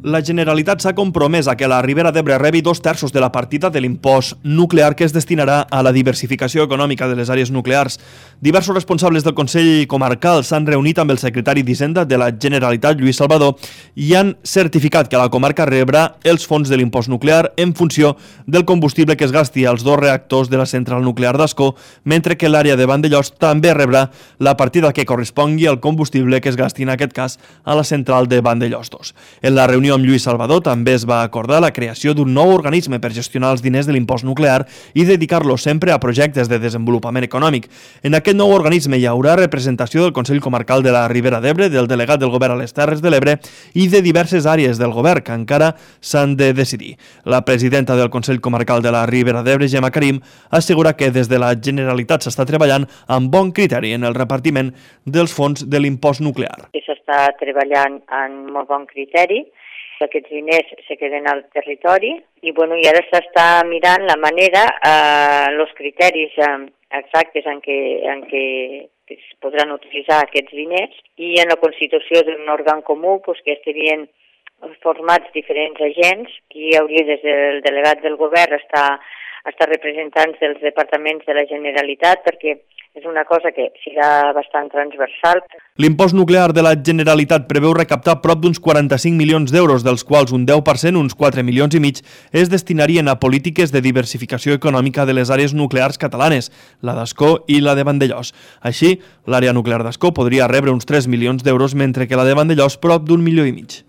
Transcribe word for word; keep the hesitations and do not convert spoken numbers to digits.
La Generalitat s'ha compromès a que la Ribera d'Ebre rebi dos terços de la partida de l'impost nuclear que es destinarà a la diversificació econòmica de les àrees nuclears. Diversos responsables del Consell Comarcal s'han reunit amb el secretari d'Hisenda de la Generalitat, Lluís Salvador, i han certificat que la comarca rebrà els fons de l'impost nuclear en funció del combustible que es gasti als dos reactors de la central nuclear d'Ascó, mentre que l'àrea de Vandellòs també rebrà la partida que correspongui al combustible que es gasti en aquest cas a la central de Vandellòs dos. En la reunió amb Lluís Salvador també es va acordar la creació d'un nou organisme per gestionar els diners de l'impost nuclear i dedicar-lo sempre a projectes de desenvolupament econòmic. En aquest nou organisme hi haurà representació del Consell Comarcal de la Ribera d'Ebre, del delegat del Govern a les Terres de l'Ebre i de diverses àrees del Govern que encara s'han de decidir. La presidenta del Consell Comarcal de la Ribera d'Ebre, Gemma Karim, assegura que des de la Generalitat s'està treballant amb bon criteri en el repartiment dels fons de l'impost nuclear. S'està treballant amb molt bon criteri. Aquests diners se queden al territori i, bueno, i ara s'està mirant la manera, eh, els criteris eh, exactes en què, en què es podran utilitzar aquests diners i en la constitució d'un òrgan comú pues, que estarien formats diferents agents. Aquí hi hauria des del delegat del govern estar, estar representants dels departaments de la Generalitat perquè és una cosa que serà bastant transversal. L'impost nuclear de la Generalitat preveu recaptar prop d'uns quaranta-cinc milions d'euros, dels quals un deu per cent, uns quatre milions i mig, es destinarien a polítiques de diversificació econòmica de les àrees nuclears catalanes, la d'Ascó i la de Vandellòs. Així, l'àrea nuclear d'Ascó podria rebre uns tres milions d'euros, mentre que la de Vandellòs prop d'un milió i mig.